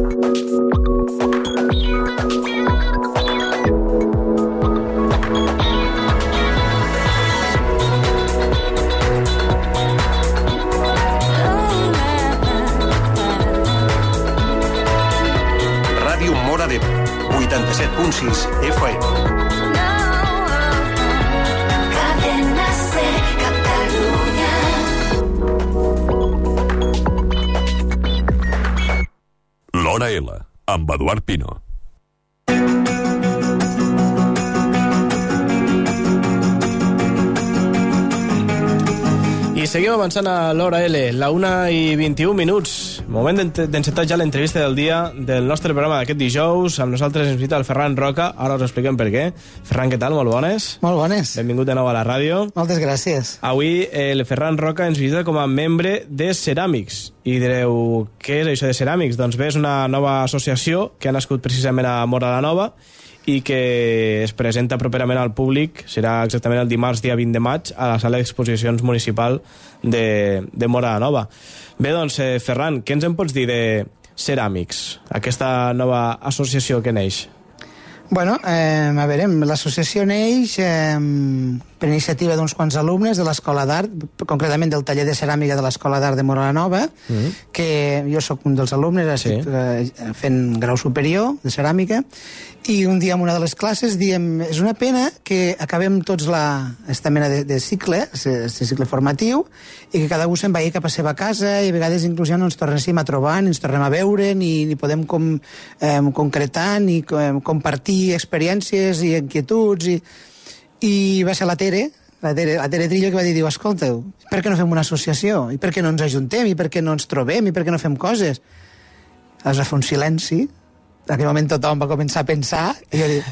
Ràdio Móra d'Ebre, 87.6 FM. Cadena Ser, Catalunya. L'Hora L, amb Eduard Pino. I seguim avançant a l'Hora L, la 1:21. Moment d'encetar ja l'entrevista del dia del nostre programa d'aquest dijous. Amb nosaltres ens visita el Ferran Roca. Ara us expliquem per què. Ferran, què tal? Molt bones. Molt bones. Benvingut de nou a la ràdio. Moltes gràcies. Avui el Ferran Roca ens visita com a membre de Ceràmics. I direu, què és això de Ceràmics? Doncs bé, és una nova associació que ha nascut precisament a Móra la Nova i que es presenta properament al públic. Serà exactament el dimarts, dia 20 de maig, a la sala d'exposicions municipal de Móra la Nova. Bé, doncs, Ferran, què ens en pots dir de Ceràmics, aquesta nova associació que neix? Bueno, a veure, l'associació neix per iniciativa d'uns quants alumnes de l'Escola d'Art, concretament del taller de ceràmica de l'Escola d'Art de Móra la Nova, que jo sóc un dels alumnes, estic fent grau superior de ceràmica, i un dia en una de les classes diem, és una pena que acabem tots esta mena de cicle, aquest cicle formatiu, i que cada un se'n vagi cap a seva casa, i a vegades inclús ja no ens tornem a trobar, ni ens tornem a veure, ni podem concretar, ni compartir experiències i inquietuds, i va ser la Tere Trillo que va dir, escolteu, per què no fem una associació? I per què no ens ajuntem? I per què no ens trobem? I per què no fem coses? Es va fer un silenci. En aquell moment tothom va començar a pensar i jo dic,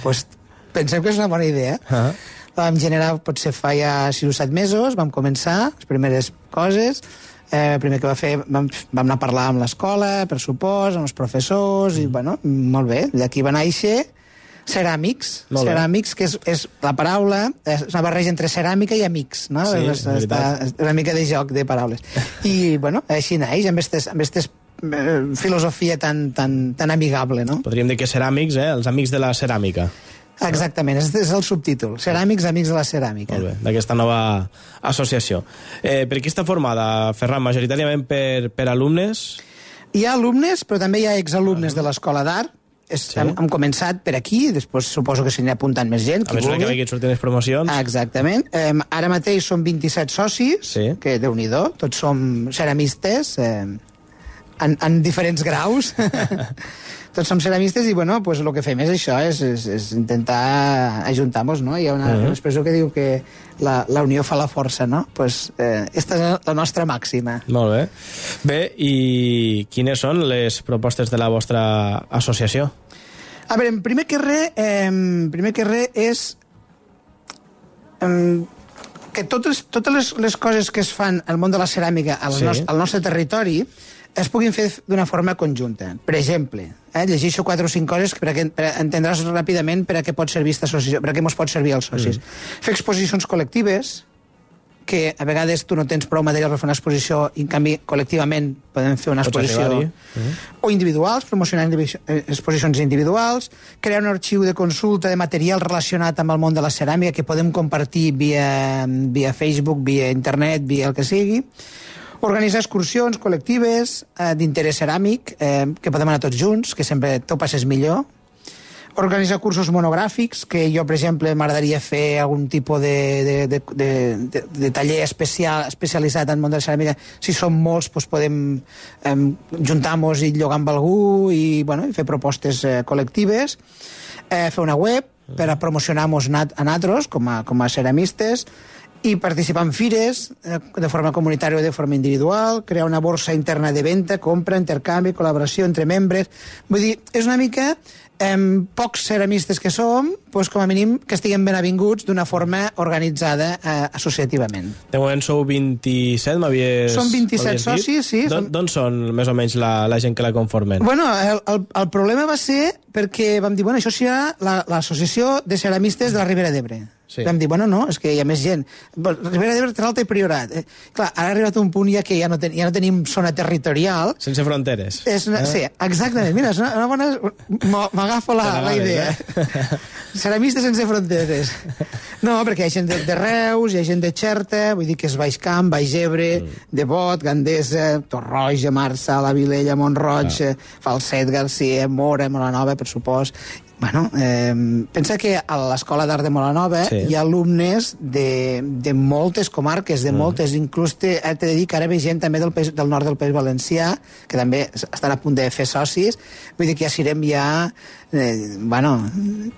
pensem que és una bona idea. La vam generar, potser fa ja 6 o 7 mesos, vam començar les primeres coses. El primer que va fer, vam anar a parlar amb l'escola, per supost, amb els professors, i bueno, molt bé. D'aquí va néixer Ceràmics. Ceràmics, que és la paraula, és una barreja entre ceràmica i amics, no? Sí, és una mica de joc de paraules. I, bueno, així naix, amb aquestes filosofia tan amigable, no? Podríem dir que Ceràmics, els amics de la ceràmica. Exactament, és el subtítol. Ceràmics, amics de la ceràmica. Molt bé, d'aquesta nova associació. Per qui està formada, Ferran? Majoritàriament per alumnes? Hi ha alumnes, però també hi ha exalumnes de l'Escola d'Art. Hem començat per aquí, després suposo que se n'hi ha apuntant més gent. A mesura que vagin sortint les promocions. Exactament. Ara mateix som 27 socis, que Déu-n'hi-do, tots som ceramistes, en diferents graus. Tots som ceramistes i, bueno, pues el que fem és això, és intentar ajuntar-nos, no? Hi ha una expressió que diu que la unió fa la força, no? Pues esta és la nostra màxima. Molt bé. Bé, i quines són les propostes de la vostra associació? A veure, primer que res és que totes les coses que es fan al món de la ceràmica al nostre territori es puguin fer d'una forma conjunta. Per exemple, llegeixo 4 o 5 coses per entendràs ràpidament per a què pot servir aquesta associació, per a què ens pot servir als socis. Fer exposicions col·lectives, que a vegades tu no tens prou material per fer una exposició i en canvi col·lectivament podem fer una exposició. O individuals, promocionar exposicions individuals, crear un arxiu de consulta de material relacionat amb el món de la ceràmica que podem compartir via Facebook, via internet, via el que sigui. Organitzar excursions col·lectives d'interès ceràmic, que podem anar tots junts, que sempre t'ho passes millor. Organitzar cursos monogràfics, que jo, per exemple, m'agradaria fer algun tipus de taller especialitzat en el món de la ceràmica. Si som molts, doncs podem juntar-nos i llogar amb algú i fer propostes col·lectives. Fer una web per a promocionar-nos a nosaltres com a ceramistes, i participar en fires de forma comunitària o de forma individual, crear una borsa interna de venda, compra, intercanvi, col·laboració entre membres. Vull dir, és una mica pocs ceramistes que som, doncs com a mínim que estiguem ben avinguts d'una forma organitzada associativament. De moment sou 27, m'havies dit? Som 27 socis, sí. D'on són més o menys la gent que la conformen? Bueno, el problema va ser perquè vam dir, bueno, això serà l'associació de ceramistes de la Ribera d'Ebre. Sí. Vam dir, bueno, no, és que hi ha més gent. Ribera d'Ebre, Terralta i Priorat. Clar, ara ha arribat un punt ja que ja no tenim zona territorial. Sense fronteres. Sí, exactament. Mira, és una bona... M'agafo la idea. Ceramistes sense fronteres. No, perquè hi ha gent de Reus, hi ha gent de Xerta, vull dir que és Baix Camp, Baix Ebre, de Bot, Gandesa, Torroja, Marçà, la Vilella, Mont-roig, Falset, Garcia, Mora, Molanova, per supost. Bueno, pensa que a l'Escola d'Art de Molanova hi ha alumnes de moltes comarques, de moltes, inclús t'he de dir que ara ve gent també del nord del País Valencià, que també estan a punt de fer socis, vull dir que ja serem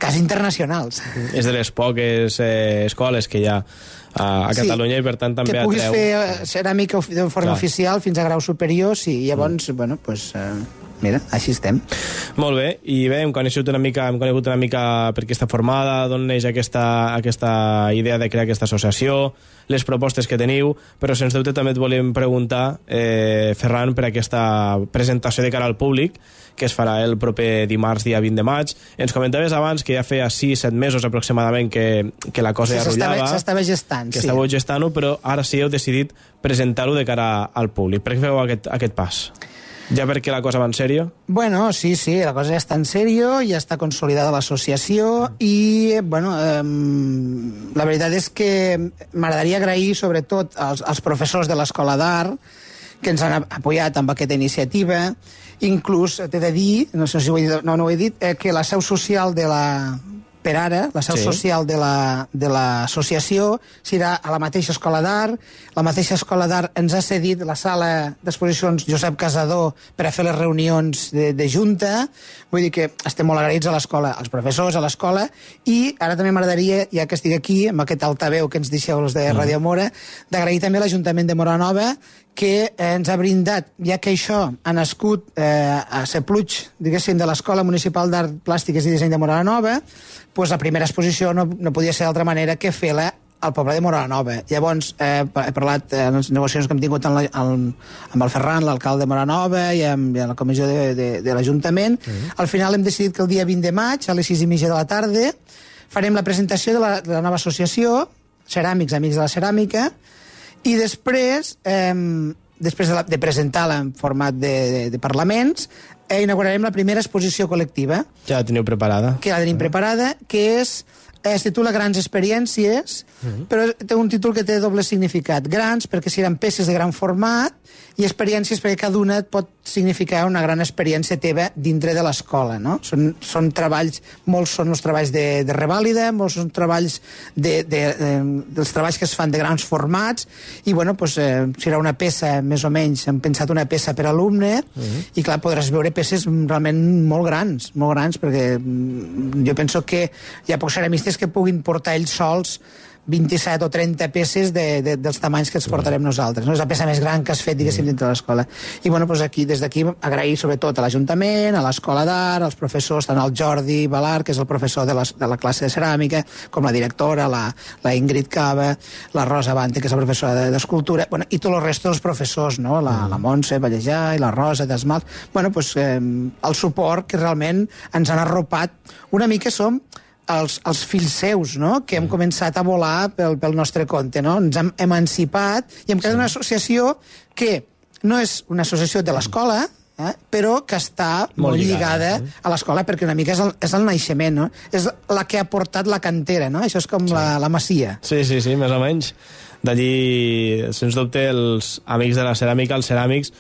quasi internacionals. És de les poques escoles que hi ha a Catalunya i per tant també atreu... Que puguis fer ceràmica de forma oficial fins a grau superior, sí, i llavors, bueno, doncs... Mira, així estem. Molt bé, i bé, hem conegut una mica per què està formada, d'on neix aquesta idea de crear aquesta associació, les propostes que teniu, però sens dubte també et volem preguntar, Ferran, per aquesta presentació de cara al públic, que es farà el proper dimarts, dia 20 de maig. Ens comentaves abans que ja feia 6-7 mesos aproximadament que la cosa ja rotllava. S'estava gestant, que estàveu gestant-ho, però ara sí heu decidit presentar-ho de cara al públic. Per què feu aquest pas? Ja perquè la cosa va en sèrio? Bueno, sí, la cosa ja està en sèrio, ja està consolidada l'associació i, bueno, la veritat és que m'agradaria agrair sobretot als professors de l'Escola d'Art que ens han apoyat amb aquesta iniciativa. Inclús t'he de dir, no sé si ho he dit, no ho he dit, que la seu social de la... Per ara, la seu social de l'associació serà a la mateixa Escola d'Art. La mateixa Escola d'Art ens ha cedit la sala d'exposicions Josep Casador per a fer les reunions de junta. Vull dir que estem molt agraïts a l'escola, als professors, a l'escola, i ara també m'agradaria, ja que estic aquí, amb aquest altaveu que ens deixeu els de Ràdio Mora, d'agrair també a l'Ajuntament de Moranova, que ens ha brindat, ja que això ha nascut a Sepluig, diguéssim, de l'Escola Municipal d'Art Plàstiques i Disseny de Moranova, doncs la primera exposició no podia ser d'altra manera que fer-la al poble de Moranova. Llavors, he parlat en les negociacions que hem tingut amb el Ferran, l'alcalde de Moranova, i amb la comissió de l'Ajuntament. Al final hem decidit que el dia 20 de maig, a les 6:30 de la tarda, farem la presentació de la nova associació, Ceràmics, Amics de la Ceràmica, i després de presentar-la en format de parlaments, inaugurarem la primera exposició col·lectiva. Ja la teniu preparada. Que la tenim preparada, que es titula Grans Experiències, però té un títol que té doble significat. Grans, perquè seran peces de gran format, i experiències perquè cada una et pot significar una gran experiència teva dintre de l'escola, no? Són treballs, molts són els treballs de revàlida, molts són treballs dels treballs que es fan de grans formats, i bueno, doncs serà una peça, més o menys, hem pensat una peça per alumne, i clar, podràs veure peces realment molt grans, perquè jo penso que hi ha pocs ceramistes que puguin portar ells sols 27 o 30 peces dels tamanys que els portarem nosaltres. No? És la peça més gran que has fet, diguéssim, dintre de l'escola. I bueno, doncs des d'aquí agrair sobretot a l'Ajuntament, a l'Escola d'Art, als professors, tant el Jordi Balar, que és el professor de la classe de ceràmica, com la directora, la Ingrid Cava, la Rosa Bante, que és la professora d'escultura, bueno, i tots els restos dels professors, no? La Montse Vallejà i la Rosa d'Esmalt. Bueno, doncs el suport que realment ens han arropat. Una mica som els fills seus, no?, que hem començat a volar pel nostre compte, no? Ens hem emancipat i hem creat una associació que no és una associació de l'escola, però que està molt lligada a l'escola, perquè una mica és el naixement, no? És la que ha portat la cantera, no? Això és com la masia. Sí, més o menys. D'allí, sens dubte, els amics de la ceràmica, els ceràmics,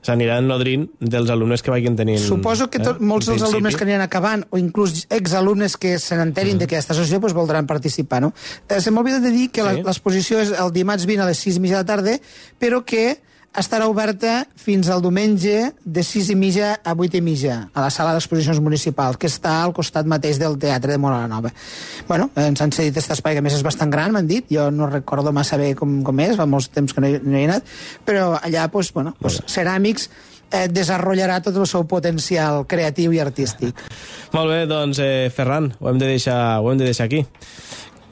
s'aniran nodrint dels alumnes que vagin tenint. Suposo que molts dels alumnes que aniran acabant, o inclús exalumnes que se n'enterin d'aquesta associació, doncs voldran participar, no? Se m'ha oblidat de dir que l'exposició és el dimarts 20 a les 6:30 de la tarda, però que estarà oberta fins al diumenge de 6:30 a 8:30 a la sala d'exposicions municipals, que està al costat mateix del Teatre de Moranova. Bueno, ens han cedit aquest espai, que a més és bastant gran, m'han dit, jo no recordo massa bé com és, fa molts temps que no hi he anat, però allà, doncs, Ceràmics desenvoluparà tot el seu potencial creatiu i artístic. Molt bé, doncs, Ferran, ho hem de deixar aquí.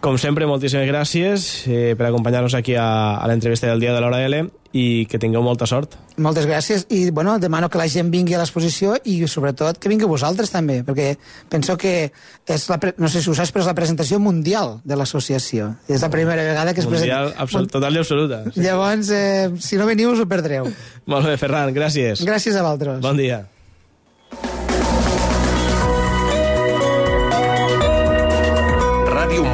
Com sempre, moltíssimes gràcies per acompanyar-nos aquí a l'entrevista del dia de l'Hora L i que tingueu molta sort. Moltes gràcies i bueno, demano que la gent vingui a l'exposició i sobretot que vingueu vosaltres també, perquè penso que és no sé si ho saps, però és la presentació mundial de l'associació. És la primera vegada que es presenta. Mundial, total i absoluta. Sí. Llavors, si no veniu us ho perdreu. Molt bé, Ferran, gràcies. Gràcies a vosaltres. Bon dia. Ràdio